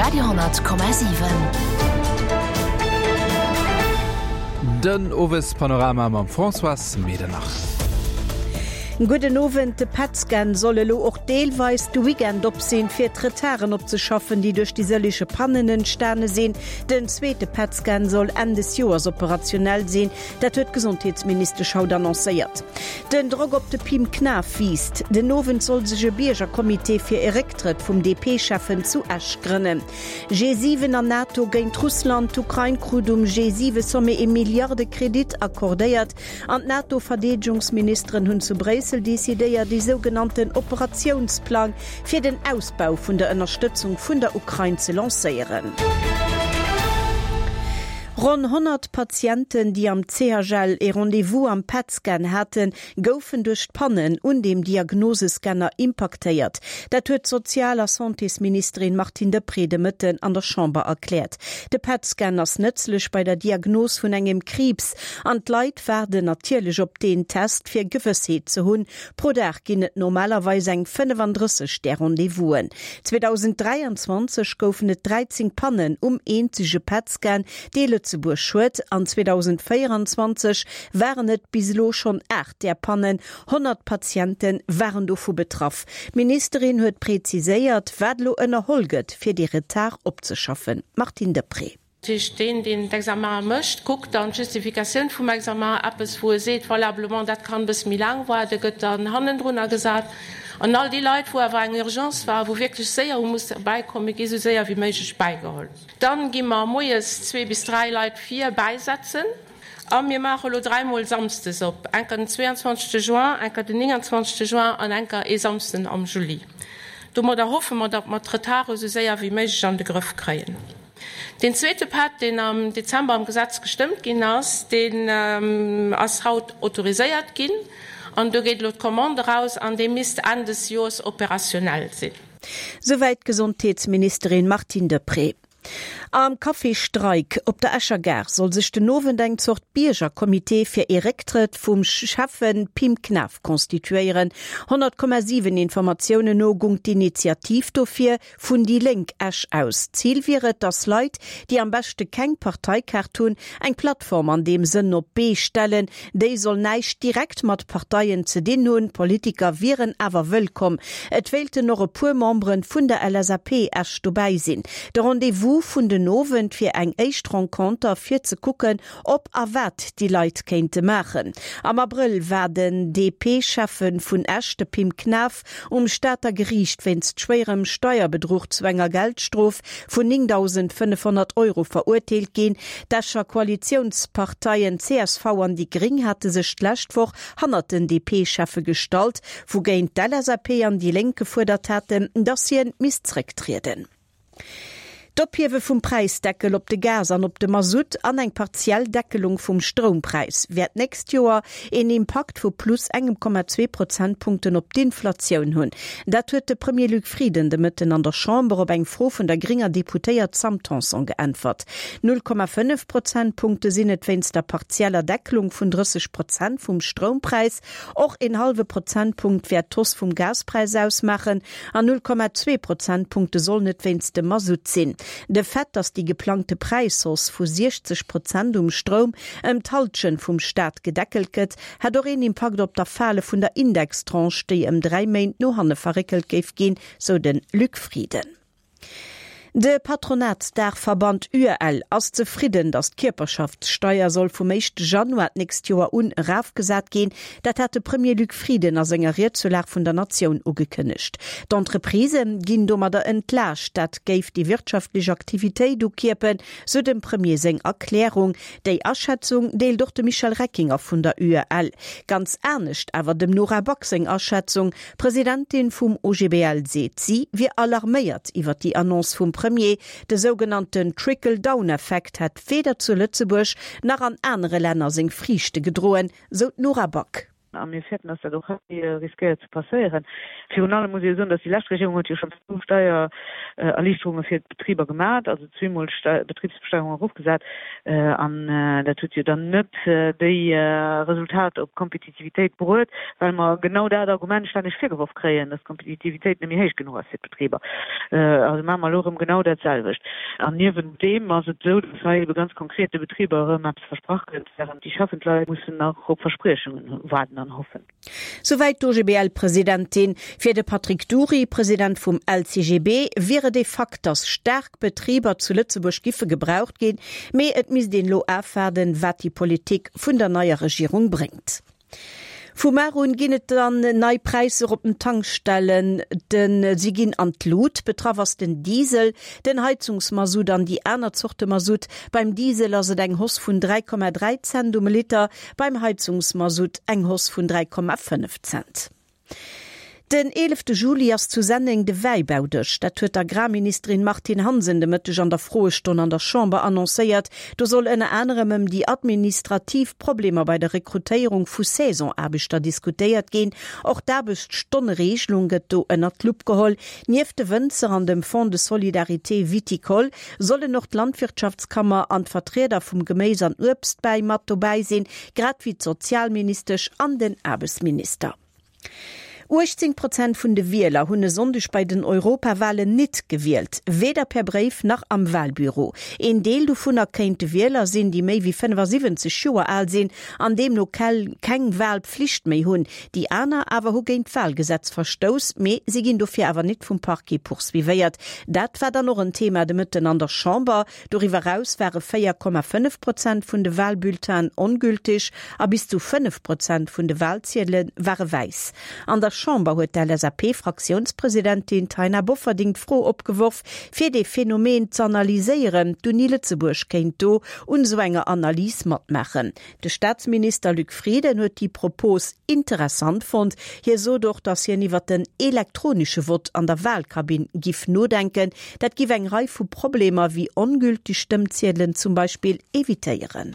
Radio 10,7. Den Owespanorama mam Françoise Medernach. Gudden Owend. De PET-Scan soll elo och deelweis de Weekend op sinn, fir d'Retarden opzeschaffen, déi duerch déi sëlliche Pannen entstane sinn. Den zweete PET-Scan soll Enn des Joers operationell sinn. Dat huet d'Gesondheetsministesch haut annoncéiert. Den Drock op de Pim Knaff wiisst. Den Owend soll sech e Biergercomité fir e Récktrëtt vum DP-Schäffen zu Esch grënnen. G7 an NATO géint Russland, D'Ukrain krut um G7-Sommet ee Milliarde-Kredit accordéiert an d'NATO-Verdeedegungsministeren hunn zu Bréissel decidéiert, ee sougenannten Operatiounsplang fir den Ausbau vun der Ënnerstëtzung vun der Ukrain ze lancéieren. Ronn 100 Patienten, déi am CHL ee Rendez-vous am PET-Scan haten, goufen duerch d'Pannen un deem Diagnosescanner impaktéiert. Dat huet d'Sozial a Santésministerin Martine Deprez de Mëtten an der Chamber erkläert. De PET-Scan ass nëtzlech bei der Diagnos vun engem Kriibs an d'Leit waarden natierlech op deen Test, fir Gewëssheet ze hunn, Pro Dag ginn et normalerweis eng 35 där Rendez-vousen. 2023 goufen et 13 Pannen um eenzege PET-Scan, dee Lëtzebuerg huet, an 2024 waren et bis elo schonn 8 där Pannen. 100 Patiente waren dovu betraff. D'Ministerin huet preziséiert, wat elo ënnerholl gëtt, fir dee Retard opzeschaffen. Martine Deprez. Dat heescht, deen, deen d'Examene mécht, kuckt dann d'Justifikatioun vum Examen, eppes, wou e seet, valablement, dat kann e bësse méi laang waarden, gëtt dann hannendrunner gesat. An all déi Leit, wou awer eng Urgence war, wou wierklech séier hu musse bäikommen, gi sou séier wéi méiglech bäigeholl. Dann gi mer moies zwee bis dräi Leit vir bäisetzen. A mir maache elo dräimol samsdes op, enker den 22 Juin, enker den 29 Juin an enker ee Samsden am Juli. Domadder hoffe mer, datt mer d'Retarde esou séier wéi méiglech an de Grëff kréien. Deen zweete Pätt, deen am Dezember am Gesetz gestëmmt ginn ass, deen ass haut autoriséiert ginn an do geet elo d'Commande eraus an dee misst Enn des Joers opérationnel sinn. Souwäit d'Gesondheetsministerin Martine Deprez. Am Café Streik op der Escher Gare soll sech den Owend eng Zort Biergercomité fir ee Récktrëtt vum Schäffen Pim Knaff constituéieren. 100,7 Informatiounen no gung d'Initiativ dofir Vun déi Lénk Esch aus. Zil wier et, datt Leit, déi am beschte keng Parteikaart hunn, eng Plattform an deem Sënn op d'Bee stellen. Déi soll näischt direkt mat Parteien ze dinn hunn, Politiker wieren awer wëllkomm. Et wéilten och e puer Membere vun der LSAP Esch dobäi sinn. De Rendez-vous vun den Owend wier eng éischt Renconter fir ze kucken, ob a wat déi Leit kéinte maachen. Am Abrëll war den DP-Schäffe vun Esch, de Pim Knaff, um Stater Geriicht wéinst schwéierem Steierbedruch zu enger Geldstrof vun 9.500 Euro verurteelt ginn. D'Escher Koalitiounsparteien csv an déi Gréng hate sech d'lescht Woch hannert den DP-Schäffe gestallt, wougéint d'LSAP an déi Lénk gefuerdert haten, datt hien misst zrécktrieden. D'Ophiewe vum Präisdeckel op de Gas an op de Masutt an eng partiell Deckelung vum Stroumpräis wäert d'nächst Joer een Impakt vu plus engem Komma zwee Prozentpunkten op d'Inflatioun hunn. Dat huet de Premier Luc Frieden de Mëtten an der Chamber op eng Fro vun der grénger Deputéiert Sam Tanson geäntwert. 0,5 Prozentpunkte sinn et wéinst der partieller Deckelung vun 30 Prozent vum Stroumpräis. Och een hallwe Prozentpunkt wäert d'Hausse vum Gaspräis ausmaachen an 0,2 Prozentpunkte sollen et wéinst dem Masutt sinn. De Fait, datt déi geplangte Präishausse vu 60 Prozent um Stroum ëm d'Hallschent vum Staat gedeckelt gëtt, hätt och een Impakt op d'Erfale vun der Indextranche, déi ëm 3 Méint no hanne verréckelt géif ginn, sou de Luc Frieden. De Patronatsdaachverband UEL ass zefridden, datt d'Kierperschaftssteier soll vum éischte Januar d'nächst Joer un erafgesat ginn. Dat hat de Premier Luc Frieden a senger Ried zur Lag vun der Natioun ugekënnegt. D'Entreprisë ginn domadder entlaascht. Dat géif déi wirtschaftlech Aktivitéit ukierpen, sou dem Premier seng Erklärung. Déi Aschätzung deelt och de Michel Reckinger vun der UEL. Ganz anescht awer dem Nora Back seng Aschätzung. D'Presidentin vum OGBL seet, si wier alarméiert iwwer déi Annonce vum Premier. De sougenannten Trickle-Down-Effekt hätt weder zu Lëtzebuerg nach an anere Länner seng Friichte gedroen, sou d'Nora Back. A mir fäerten, dass dat och hei riskéiert ze passéieren. Virun allem muss ee jo soen, dass déi lescht Regierung huet jo schonn zwou Steiererliichterunge fir d'Betriber gemat, also zweemol d'Betribsbesteierung erofgesat. An dat huet jo dann net déi Resultat op d'Kompetitivitéit bruet, well mer genau dat Argument stänneg virgeworf kréien, dass d'Kompetitivitéit net méi héich genuch ass fir d'Betriber. Also maache mer elo erëm genau dat selwecht. An niewent deem ass et esou, dass hei ebe ganz konkret de Betriber erëm eppes versprach gëtt, während déi schaffend Leit mussen nach op Verspriechungen waarden an hoffen. Souwäit d'OGBL-Presidentin. Fir de Patrick Dury, President vum LCGB, wier et ee Fakt, datt staark Betriber zu Lëtzebuerg giffe gebraucht ginn, mee et misst een elo afwaarden, wat déi Politik vun der neier Regierung bréngt. Vu mar un ginn et dann nei Präisser op den Tankstellen. Den si ginn an d'Lut. Betraff ass den Diesel, den Heizungsmasutt an déi aner Zorte Masutt. Beim Diesel ass et eng Hausse vun 3,3 Cent um Liter, beim Heizungsmasutt eng Hausse vun 3,5 Cent. Den eelefte Juli ass zu Senneng de Wäibaudësch. Dat huet d'Agrarministerin Martine Hansen de Mëtteg an der Froestonn an der Chamber annoncéiert. Do soll ënner anerem ëm déi administrativ Problemer bei der Rekrutéierung vu Saisonaarbechter diskutéiert ginn. Och d'Aarbechtsstonnereegelung gëtt do ënnert d'Lupp geholl. Nieft de Wënzer an dem Fonds de solidarité viticole sollen och d'Landwirtschaftskammer an d'Vertrieder vum Geméis an Uebstbäi mat dobäi sinn, grad wéi d'Sozialministesch an den Aarbechtsminister. 18 Prozent vun de Wieler hunn e Sonndeg bei den Europawalen nit gewielt, weder per Bréif nach am Walbüro. Een Deel dovunner kéinte Wieler sinn, déi méi wéi 75 Joer al sinn an deemno keng Walpflicht méi hunn. Déi aner awer hu géint d'Walgesetz verstouss, mee si ginn dofir awer nit vum Parquet poursuivéiert. Dat war dann och en Thema de Mëtten an der Chamber. Doriwwer eraus ware 4,5 Prozent vun de Walbulletinen ongülteg a bis zu 5 Prozent vun de Walziedele ware wäiss. An der Chamber huet d'LSAP-Fraktiounspresidentin Taina Bofferding d'Fro opgeworf, fir dee Phänomen z'analyséieren. D'Uni Lëtzebuerg kéint do un esou enger Analys matmaachen. De Staatsminister Luc Frieden huet déi Propos interessant fonnt. Hie sot och, datt hien iwwer den elektronesche Vott an der Walkabinn giff nodenken. Dat giff eng Rei vu Problemer wéi ongülteg Stëmmziedelen zum Beispill evitéieren.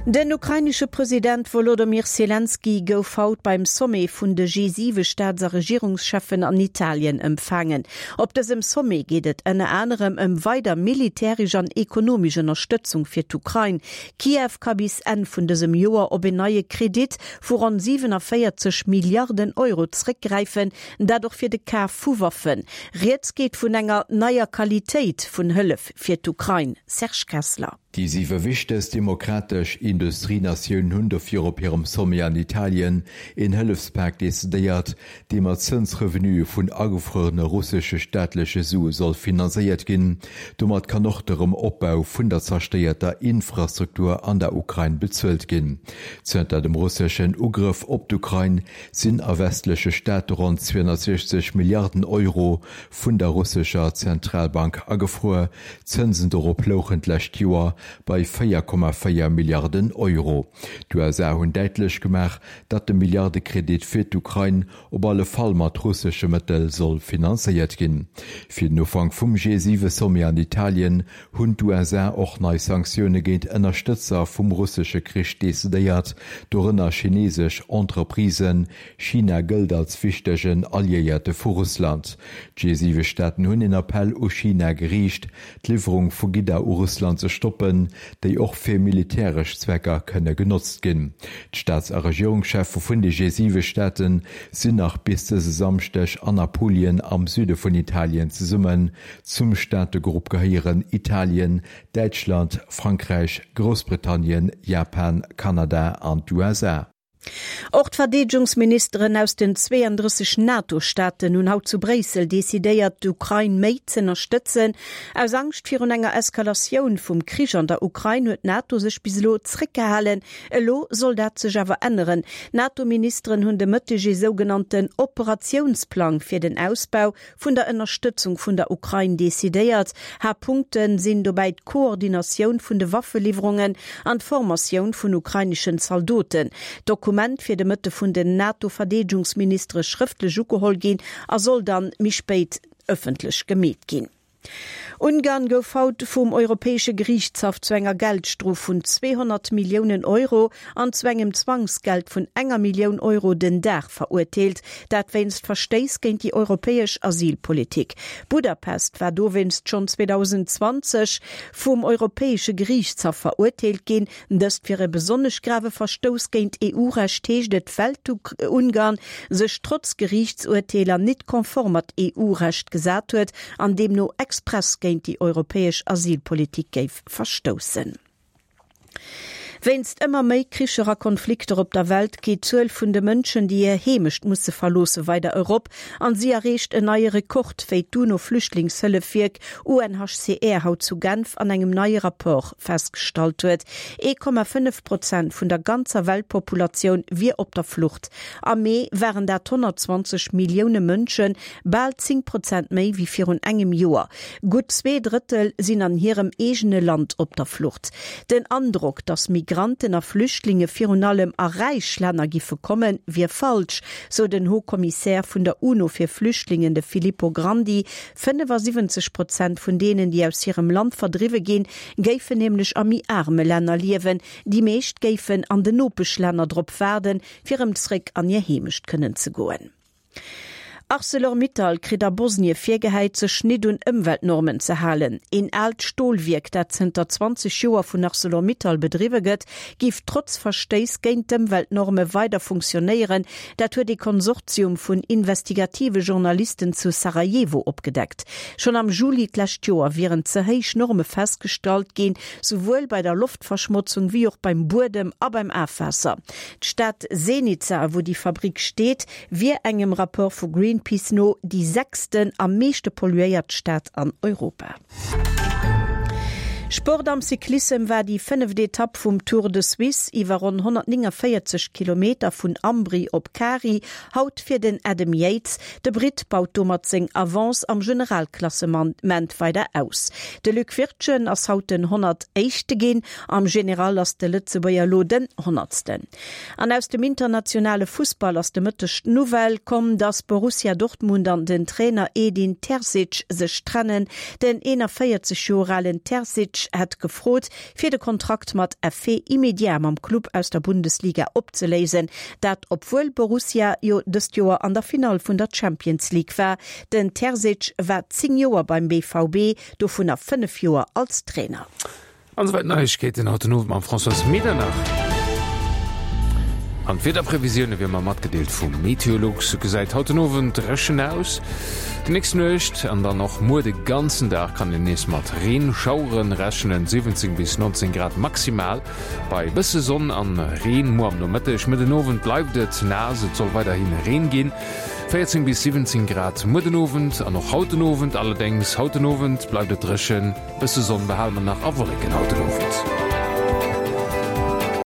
Den ukrainesche President Wolodomyr Selenskyj gouf haut beim Sommet vun de G7 Staats a Regierungscheffen an Italien empfaangen. Op dësem Sommet geet et ënner anerem ëm weider militäresch an ekonomesch Ënnerstëtzung fir d'Ukrain. Kiew ka bis Enn vun dësem Joer op een neie Kredit vu ronn 47 Milliarden Euro zréckgräifen, dat och fir de Kaf vu Waffen. Rieds geet vun enger neier Qualitéit vun Hëllef fir d'Ukrain. Serge Kessler. Déi siwe wichtegst demokratesch Industrienatiounen hunn dofir op hirem Sommet an Italien een Hëllefspak decidéiert, dee mat Zënsrevenuë vun agefruerene russesche staatleche Sue soll finanzéiert ginn. Domat kann och de Rëm-Opbau vun der zerstéierter Infrastruktur an der Ukrain bezuelt ginn. Zënter dem russeschen Ugrëff op d'Ukrain sinn a westleche Staate ronn 260 Milliarden Euro vun der russescher Zentralbank agefruer. D'Zënsen dorop louchen d'lescht Joer bei 4,4 Milliarden Euro. D'USA hunn däitlech gemaach, datt de Milliardekredit fir d'Ukrain op alle Fall mat russesche Mëttel soll finanzéiert ginn. Fir den Ufank vum G7-Sommet an Italien hunn d'USA och nei Sanktioune géint Ënnerstëtzer vum russesche Krich decidéiert, dorënner chinesesch Entreprisen. China gëllt als wichtegen Alliéierte vu Russland. D'G7-Staaten hunn een Appell u China geriicht, d'Liwwerung vu Gidder u Russland ze stoppen, déi och fir militäresch Zwecker kënne genotzt ginn. D'Staats a Regierungscheffe vun de G7-Staate sinn nach bis dëse Samschdeg an Apulien am Süde vun Italien zesummen. Zum Staategrupp gehéieren Italien, Däitschland, Frankräich, Groussbritannien, Japan, Kanada an d'USA. Och d'Verdeedegungsministeren aus den 32 NATO-Staaten hunn haut zu Bréissel decidéiert, d'Ukrain méi z'ënnerstëtzen. Aus Angscht virun enger Eskalatioun vum Krich an der Ukrain huet d'NATO sech bis elo zréckgehalen. Elo soll dat sech awer änneren. D'NATO-Ministeren hunn de Mëtteg ee sougenannten Operatiounsplang fir den Ausbau vun der Ënnerstëtzung vun der Ukrain decidéiert. Haaptpunkte sinn dobäi d'Koordinatioun vun de Waffeliwwerungen an d'Formatioun vun ukraineschen Zaldoten. D'Dokument wier de Mëtte vun den NATO-Verdeedegungsministere schrëftlech ugeholl ginn a soll dann méi spéit ëffentlech gemeet ginn. Ungarn gouf haut vum Europäesche Geriichtshaff zu enger Geldstrof vun 200 Milliounen Euro an zu engem Zwangsgeld vun enger Millioun Euro den Dag verurteelt. Dat wéinst Verstéiss géint déi europäesch Asylpolitik. Budapest war dowéinst schonn 2020 vum Europäesche Geriichtshaff verurteelt ginn. Dëst wier e besonnesch grave Verstouss géint EU-Recht, heescht et, well d'Ungarn sech trotz Geriichtsurteeler nit konform mat EU-Recht gesat huet an deemno express géint déi europäesch Asylpolitik géif verstoussen. Wéinst ëmmer méi Kricher a Konflikter op der Welt geet d'Zuel vun de Mënschen, déi hir Heemecht musse verloosse weider erop an si erreecht en neie Rekord, wéi d'UNO-Flüchtlingshëllefwierk UNHCR haut zu Genf an engem neie Rapport festgestallt huet. 1,5 Prozent vun der ganzer Weltpopulatioun wier op der Flucht. Am Mee waren dat 120 Millioune Mënschen, bal 10 Prozent méi wéi virun engem Joer. Gutt 2 Drëttel sinn an hirem eegene Land op der Flucht. Den Androck, datt Migranten a Flüchtlinge virun allem a räich Länner giffe kommen, wier falsch, sou den Haut-Commissaire vun der UNO fir Flüchtlingen, de Filippo Grandi. 75 Prozent vun deenen, déi aus hirem Land verdriwwe ginn, géifen nämlech a méi aarme Länner liewen. Déi meescht géifen an den Nopeschlänner drop waarden, fir erëm zréck an hir Heemecht kënnen ze goen. Arcelor-Mittal kritt a Bosnie virgehäit, sech nit un Ëmweltnormen ze halen. Een aalt Stolwierk, dat zënter 20 Joer vun Arcelor-Mittal bedriwwe gëtt, giff trotz Verstéiss géint d'Ëmweltnorme weider funktionéieren. Dat huet ee Konsortium vun investigative Journalisten zu Sarajevo opgedeckt. Schonn am Juli d'lescht Joer wieren ze héich Norme festgestallt ginn, souwuel bei der Loftverschmotzung wéi och beim Buedem a beim Afwaasser. D'Stad Zenica, wou déi Fabrick steet, wier engem Rapport vu Greenpeace no déi sechsten am meeschte polluéiert Stad an Europa. Sport Am Cyclissem war déi fënneft Etapp vum Tour de Suisse iwwer ronn 149 Kilometer vun Ambri op Cari haut fir den Adam Yates. De Britt baut domat seng Avance am Generalklassement weider aus. De Luc Wirtgen ass haut den 101. ginn. Am General ass de Lëtzebuerger elo den Honnertsten. An aus dem internationale Fussball ass de Mëtteg d'Nouvelle komm, dass Borussia Dortmund an den Trainer Edin Terzic sech trennen. Den 41 Joer alen Terzic hätt gefrot, fir de Kontrakt mat Effet immédiat mam Club aus der Bundesliga opzeléisen. Dat obwuel Borussia jo dëst Joer an der Finall vun der Champions League war. Den Terzic war 10 Joer beim BVB, dovunner 5 Joer als Trainer. An esouwäit d'Neiegkeeten haut den Owend mam Françoise Medernach. An d'Wiederprevisioune wéi ëmmer matgedeelt vu Meteolux. Et gesäit haut den Owend dréchen aus. Déi nächst Nuecht an dann och muer de ganzen Dag kann een nees mat Reenschauere rechnen, 17 bis 19 Grad maximal bei bësse Sonn an Reen muer am Nomëtteg. Mëtt den Owend bleift et naass, et soll weiderhi Reen ginn, 14 bis 17 Grad muer den Owend an och haut den Owend. Allerdéngs haut den Owend bleift et dréchen. Bësse Sonn behale mer nach a Wolleken haut den Owend.